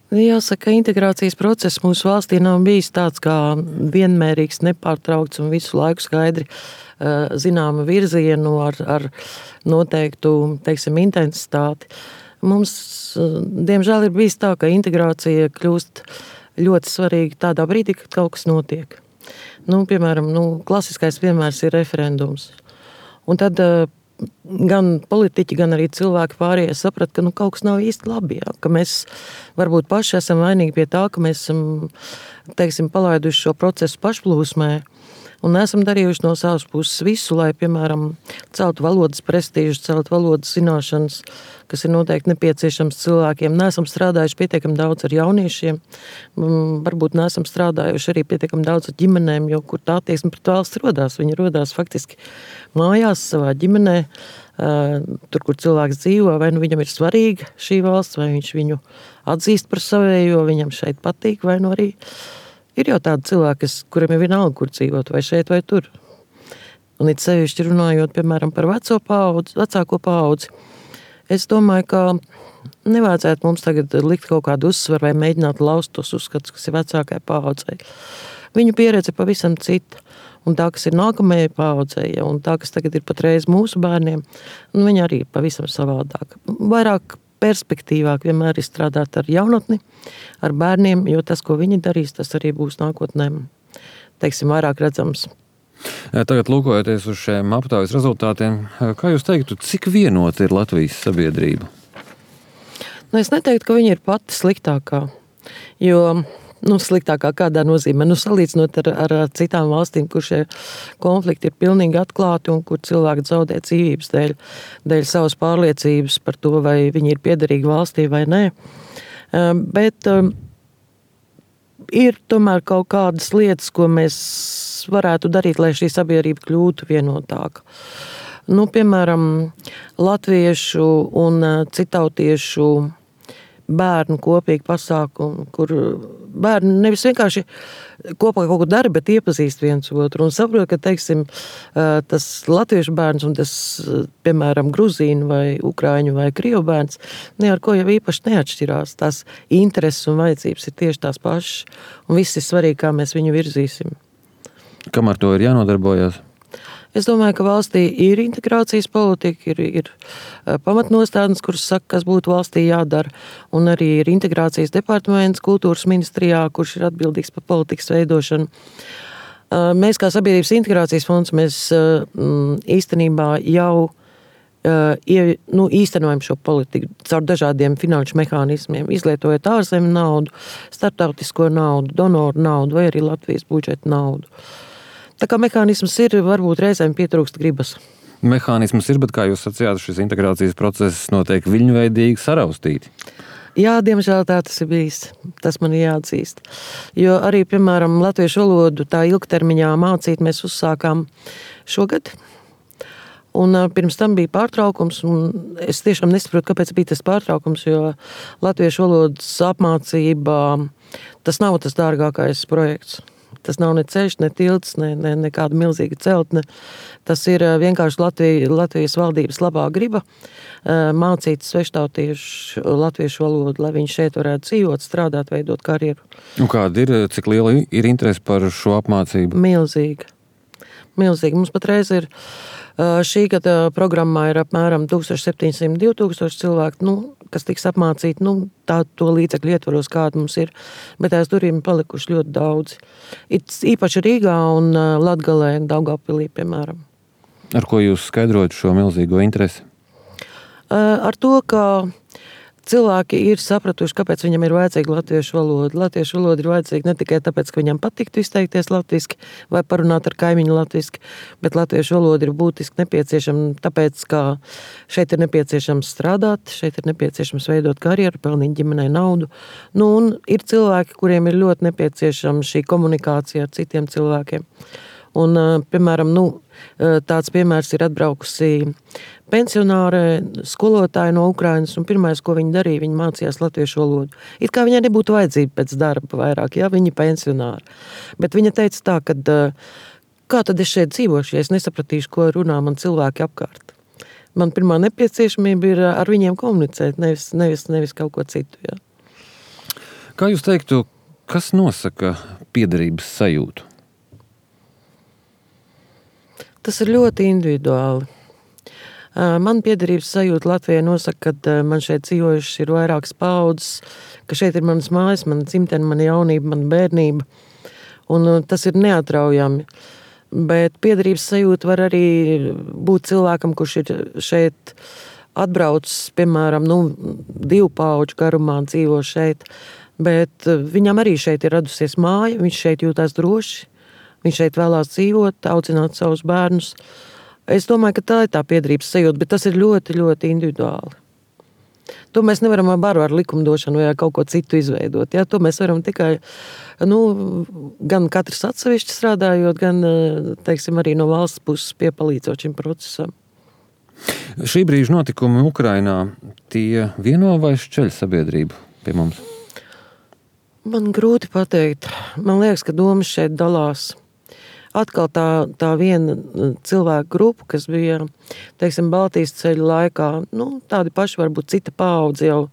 Jāsaka, integrācijas process mūsu valstī nav bijis tāds kā vienmērīgs, nepārtraukts un visu laiku skaidri zināma virzienu ar noteiktu, teiksim, intensitāti. Mums, diemžēl, ir bijis tā, ka integrācija kļūst ļoti svarīga tādā brīdī, kad kaut kas notiek. Piemēram, klasiskais piemērs ir referendums. Un tad gan politiķi, gan arī cilvēki pārējie saprat, ka kaut kas nav īsti labi. Ja? Ka mēs varbūt paši esam vainīgi pie tā, ka mēs esam, teiksim, palaiduši šo procesu pašplūsmē un neesam darījuši no savas puses visu, lai, piemēram, celtu valodas prestīžu, celtu valodas zināšanas, kas ir noteikti nepieciešams cilvēkiem. Neesam strādājuši pietiekami daudz ar jauniešiem, varbūt neesam strādājuši arī pietiekami daudz ar ģimenēm, jo kur tā attieksme pret valsts rodās. Viņa rodās faktiski mājās, savā ģimenē, tur, kur cilvēks dzīvo, vai viņam ir svarīga šī valsts, vai viņš viņu atzīst par savējo, viņam šeit patīk, vai arī ir jau tādi cilvēki, kuriem ir vienalga, kur dzīvot, vai šeit, vai tur. Un it sevišķi runājot, piemēram, par vecāko paudzi, es domāju, ka nevajadzētu mums tagad likt kaut kādu uzsvaru vai mēģināt laust tos uzskatus, kas ir vecākai paudzei. Viņu pieredze pavisam cita. Un tā, kas ir nākamajai paudzei, un tā, kas tagad ir patreiz mūsu bērniem, viņa arī ir pavisam savādāk. Vairāk perspektīvāk vienmēr ir strādāt ar jaunatni, ar bērniem, jo tas, ko viņi darīs, tas arī būs nākotnē, teiksim, vairāk redzams. Tagad lūkojoties uz šiem aptaujas rezultātiem, kā jūs teiktu, cik vienota ir Latvijas sabiedrība? Es neteiktu, ka viņa ir pati sliktākā, jo sliktākā kādā nozīmē. Salīdzinot ar citām valstīm, kur šie konflikti ir pilnīgi atklāti un kur cilvēki zaudē dzīvības dēļ savas pārliecības par to, vai viņi ir piederīgi valstī vai nē. Bet ir tomēr kaut kādas lietas, ko mēs varētu darīt, lai šī sabiedrība kļūtu vienotāka. Piemēram, latviešu un citautiešu bērnu kopīgi pasākumu, kur bērni nevis vienkārši kopā kaut ko dara, bet iepazīst viens otru un saprot, ka, teiksim, tas latviešu bērns un tas, piemēram, gruzīnu vai ukrāņu vai krievu bērns, ar ko jau īpaši neatšķirās. Tās intereses un vajadzības ir tieši tās pašas, un viss ir svarīgi, kā mēs viņu virzīsim. Kam ar to ir jānodarbojas? Es domāju, ka valstī ir integrācijas politika, ir pamatnostādnes, kuras saka, kas būtu valstī jādara, un arī ir integrācijas departaments kultūras ministrijā, kurš ir atbildīgs par politikas veidošanu. Mēs kā Sabiedrības integrācijas fonds, mēs īstenībā jau īstenojam šo politiku caur dažādiem finanšu mehānismiem, izlietojot ārzemju naudu, starptautisko naudu, donoru naudu vai arī Latvijas budžeta naudu. Tā kā mehānisms ir, varbūt reizēm pietrūkst gribas. Mehānisms ir, bet kā jūs sacījāt, šis integrācijas process notiek viļņveidīgi saraustīti. Jā, diemžēl tā tas ir bijis. Tas man ir jāatzīst. Jo arī, piemēram, latviešu valodu tā ilgtermiņā mācīt mēs uzsākām šogad. Un pirms tam bija pārtraukums, un es tiešām nesaprotu, kāpēc bija tas pārtraukums, jo latviešu valodas apmācība, tas nav tas dārgākais projekts. Tas nav ne ceļš, ne tilts, ne kāda milzīga celtne. Tas ir vienkārši Latvijas valdības labā griba mācīt sveštautiešu latviešu valodu, lai viņi šeit varētu dzīvot, strādāt, veidot karjeru. Un kāda ir, cik liela ir interese par šo apmācību? Milzīga. Mums patreiz ir šī gada programmā ir apmēram 1700–2000 cilvēku, kas tiks apmācīti, to līdzekļu ietvaros, kāda mums ir, bet aiz durvīm palikuši ļoti daudzi. Īpaši Rīgā un Latgalē, Daugavpilī, piemēram. Ar ko jūs skaidrojat šo milzīgo interesi? Ar to, ka cilvēki ir sapratuši, kāpēc viņam ir vajadzīga latviešu valoda. Latviešu valoda ir vajadzīga ne tikai tāpēc, ka viņam patiktu izteikties latviski vai parunāt ar kaimiņu latviski, bet latviešu valoda ir būtiski nepieciešama, tāpēc, ka šeit ir nepieciešams strādāt, šeit ir nepieciešams veidot karjeru, pelnīt ģimenei naudu. Un ir cilvēki, kuriem ir ļoti nepieciešama šī komunikācija ar citiem cilvēkiem. Un, piemēram, tāds piemērs ir atbraukusi pensionāre, skolotāja no Ukrainas, un pirmais, ko viņa darīja, viņa mācījās latviešu valodu. It kā viņai nebūtu vajadzība pēc darba vairāk, ja viņa pensionāra. Bet viņa teica tā, ka kā tad es šeit dzīvošu, ja es nesapratīšu, ko runā man cilvēki apkārt. Man pirmā nepieciešamība ir ar viņiem komunicēt, nevis kaut ko citu, ja. Kā jūs teiktu, kas nosaka piederības sajūtu? Tas ir ļoti individuāli. Man piederības sajūta Latvijai nosaka, ka man šeit dzīvojušas ir vairākas paudzes, ka šeit ir manas mājas, mana dzimtene, mana jaunība, mana bērnība. Un tas ir neatraujami. Bet piederības sajūta var arī būt cilvēkam, kurš ir šeit atbraucis, piemēram, 2 paudžu garumā dzīvo šeit. Bet viņam arī šeit ir radusies māja, viņš šeit jūtās droši, viņš šeit vēlās dzīvot, audzināt savus bērnus. Es domāju, ka tā ir tā piederības sajūta, bet tas ir ļoti, ļoti individuāli. To mēs nevaram ar likumdošanu vai kaut ko citu izveidot. Ja? To mēs varam tikai, gan katrs atsevišķi strādājot, gan, teiksim, arī no valsts puses piepalīdzot šim procesam. Šī brīža notikumi Ukrainā, tie vieno vai šķeļ sabiedrību pie mums? Man grūti pateikt. Man liekas, ka domas šeit dalās. Atkal tā viena cilvēku grupa, kas bija, teiksim, Baltijas ceļa laikā, tādi paši varbūt cita paudze jau,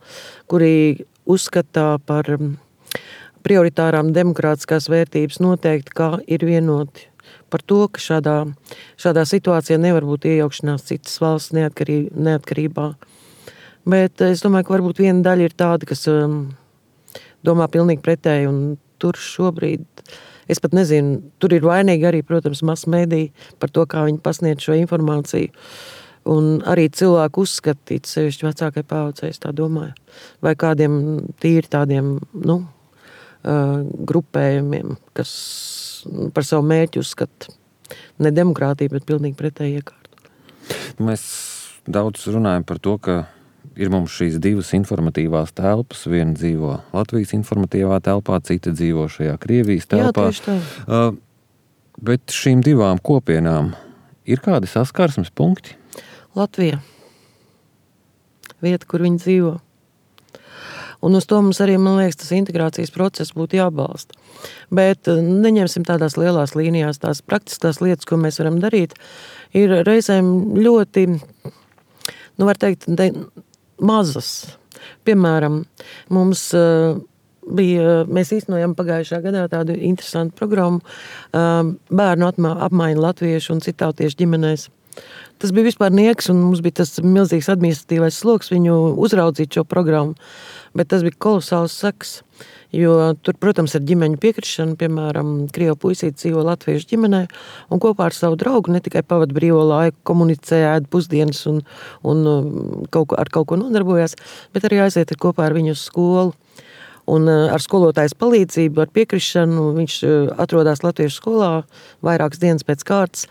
kuri uzskatā par prioritārām demokrātiskās vērtības noteikti, kā ir vienoti par to, ka šādā situācijā nevar būt iejaukšanās citas valsts neatkarībā. Bet es domāju, ka varbūt viena daļa ir tāda, kas domā pilnīgi pretēji, un tur šobrīd es pat nezinu, tur ir vainīgi arī, protams, masmediji par to, kā viņi pasniedz šo informāciju. Un arī cilvēku uzskatīt sevišķi vecākai paaudzei, es tā domāju. Vai kādiem tīri tādiem, grupējumiem, kas par savu mērķi uzskata ne demokrātiju, bet pilnīgi pretēji iekārtu. Mēs daudz runājam par to, ka ir mums šīs 2 informatīvās telpas. Viena dzīvo Latvijas informatīvā telpā, cita dzīvo šajā Krievijas telpā. Jā, tieši tā. Bet šīm 2 kopienām ir kādi saskarsmes punkti? Latvija. Vieta, kur viņi dzīvo. Un uz to mums arī, man liekas, tas integrācijas process būtu jābalsta. Bet neņemsim tādās lielās līnijās, tās praktiskās lietas, ko mēs varam darīt, ir reizēm ļoti, var teikt, mazas. Piemēram, mēs īstenojam pagājušā gadā tādu interesantu programmu bērnu apmaiņu latviešu un citautiešu ģimenēs. Tas bija vispār nieks, un mums bija tas milzīgs administratīvais sloks viņu uzraudzīt šo programmu, bet tas bija kolosāls seks, jo tur, protams, ir ģimeņu piekrišana, piemēram, krievu puisīte dzīvo latviešu ģimenē, un kopā ar savu draugu ne tikai pavada brīvo laiku, komunicē, ēd pusdienas un ar kaut ko nodarbojās, bet arī aiziet kopā ar viņu uz skolu. Un ar skolotājas palīdzību, ar piekrišanu, viņš atrodās latviešu skolā vairākas dienas pēc kārtas.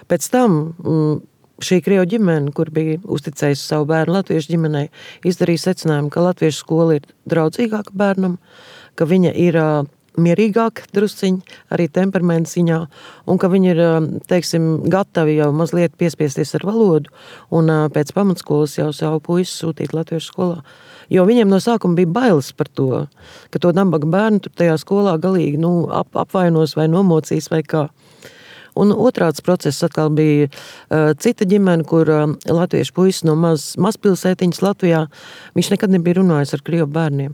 Pēc tam šī krievu ģimene, kur bija uzticējusi savu bērnu latviešu ģimenei, izdarīja secinājumu, ka latviešu skola ir draudzīgāka bērnam, ka viņa ir mierīgāka drusciņi, arī temperamenta ziņā, un ka viņi ir, teiksim, gatavi jau mazliet piespiesties ar valodu, un pēc pamatskolas jau savu puisi sūtīt latviešu skolā. Jo viņiem no sākuma bija bailes par to, ka to nabaga bērnu tur tajā skolā galīgi apvainos vai nomocīs vai kā. Un otrāds process atkal bija cita ģimene, kur latviešu puisis no mazpilsētiņas Latvijā, viņš nekad nebija runājis ar krievu bērniem.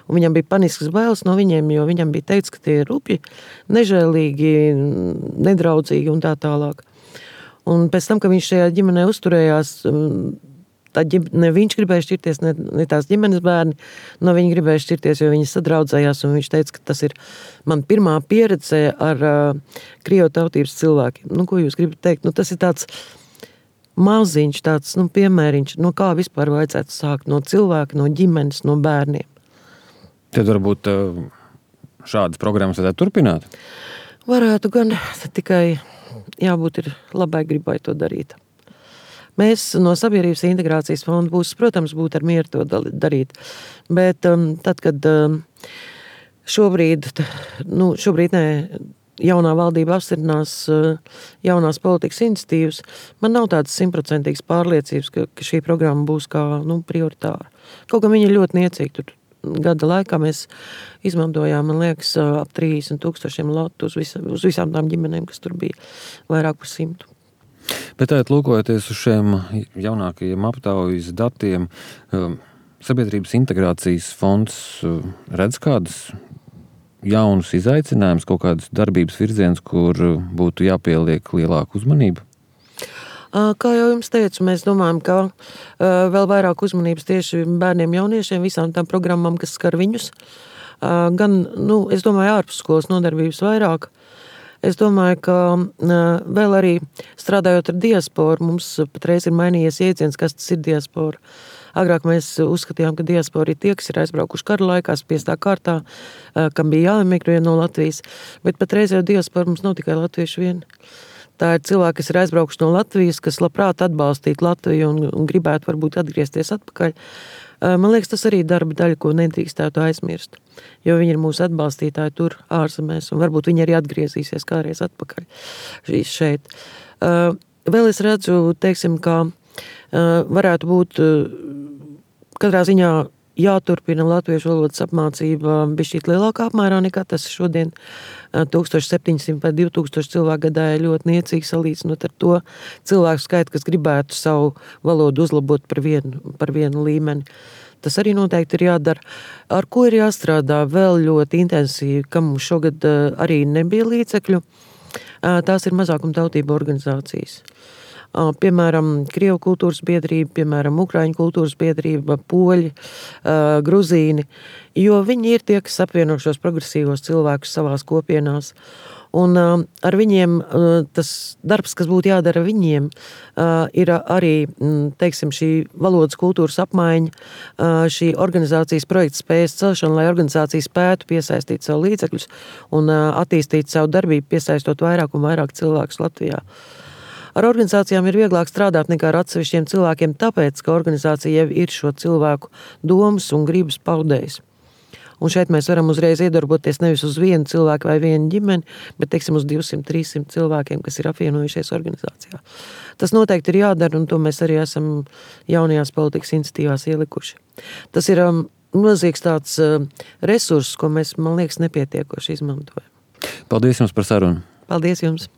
Un viņam bija paniskas bailes no viņiem, jo viņam bija teikts, ka tie ir rupji, nežēlīgi, nedraudzīgi un tā tālāk. Un pēc tam, ka viņš šajā ģimenē uzturējās, ne viņš gribēja šķirties, ne tās ģimenes bērni, no viņa gribēja šķirties, jo viņi sadraudzējās, un viņš teica, ka tas ir man pirmā pieredze ar krievu tautības cilvēkiem. Ko jūs gribat teikt? Tas ir tāds maziņš, tāds piemēriņš, kā vispār vajadzētu sākt no cilvēka, no ģimenes, no bērniem. Tad varbūt šādas programmas varētu turpināt? Varētu gan, tikai jābūt ir labai gribai to darīt. Mēs no Sabiedrības integrācijas fonda puses, protams, būtu ar mieru to darīt, bet tad, kad šobrīd jaunā valdība apstiprinās jaunās politikas iniciatīvas, man nav tādas 100% pārliecības, ka šī programma būs kā prioritāra. Kaut kā viņa ir ļoti niecīga. Tur gada laikā mēs izmantojām, man liekas, ap 30,000 latu uz visām tām ģimenēm, kas tur bija vairāk par 100. Bet lūkojoties uz šiem jaunākajiem aptaujas datiem, Sabiedrības integrācijas fonds redz kādus jaunus izaicinājumus, kaut kādus darbības virzienus, kur būtu jāpieliek lielāku uzmanību? Kā jau jums teicu, mēs domājam, ka vēl vairāk uzmanības tieši bērniem, jauniešiem, visām tām programmām, kas skar viņus. Gan, es domāju, ārpus skolas nodarbības vairāk. Es domāju, ka vēl arī strādājot ar diasporu, mums patreiz ir mainījies jēdziens, kas tas ir diaspora. Agrāk mēs uzskatījām, ka diaspora ir tie, kas ir aizbraukuši kara laikā, spiestā kārtā, kam bija jāemigrē no Latvijas. Bet patreiz jau diaspora mums nav tikai latvieši vien. Tā ir cilvēki, kas ir aizbraukuši no Latvijas, kas labprāt atbalstītu Latviju un gribētu varbūt atgriezties atpakaļ. Man liekas, tas arī darba daļa, ko nedrīkstētu aizmirst, jo viņi ir mūsu atbalstītāji tur ārzemēs, un varbūt viņi arī atgriezīsies kādreiz atpakaļ šeit. Vēl es redzu, teiksim, ka varētu būt katrā ziņā jāturpina latviešu valodas apmācība bišķīt lielākā apmērā nekā tas šodien 1700 vai 2000 cilvēku gadā ir ļoti niecīgi salīdzinot ar to cilvēku skaitu, kas gribētu savu valodu uzlabot par vienu līmeni. Tas arī noteikti ir jādara. Ar ko ir jāstrādā vēl ļoti intensīvi, kam mums šogad arī nebija līdzekļu, tās ir mazākumtautību organizācijas. Piemēram, Krievu kultūras biedrība, piemēram, Ukraiņu kultūras biedrība, Poļi, Gruzīni, jo viņi ir tie, kas apvieno šos progresīvos cilvēkus savās kopienās. Un ar viņiem tas darbs, kas būtu jādara viņiem, ir arī, teiksim, šī valodas kultūras apmaiņa, šī organizācijas projekta spējas celšana, lai organizācija spētu piesaistīt savu līdzekļus un attīstīt savu darbību, piesaistot vairāk un vairāk cilvēkus Latvijā. Ar organizācijām ir vieglāk strādāt nekā ar atsevišķiem cilvēkiem, tāpēc, ka organizācija jau ir šo cilvēku domas un gribas paudējis. Un šeit mēs varam uzreiz iedarboties nevis uz vienu cilvēku vai vienu ģimeni, bet, teiksim, uz 200-300 cilvēkiem, kas ir apvienojušies organizācijā. Tas noteikti ir jādara, un to mēs arī esam jaunajās politikas iniciatīvās ielikuši. Tas ir milzīgs tāds resurss, ko mēs, man liekas, nepietiekoši izmantojam. Paldies jums par sarunu. Paldies jums.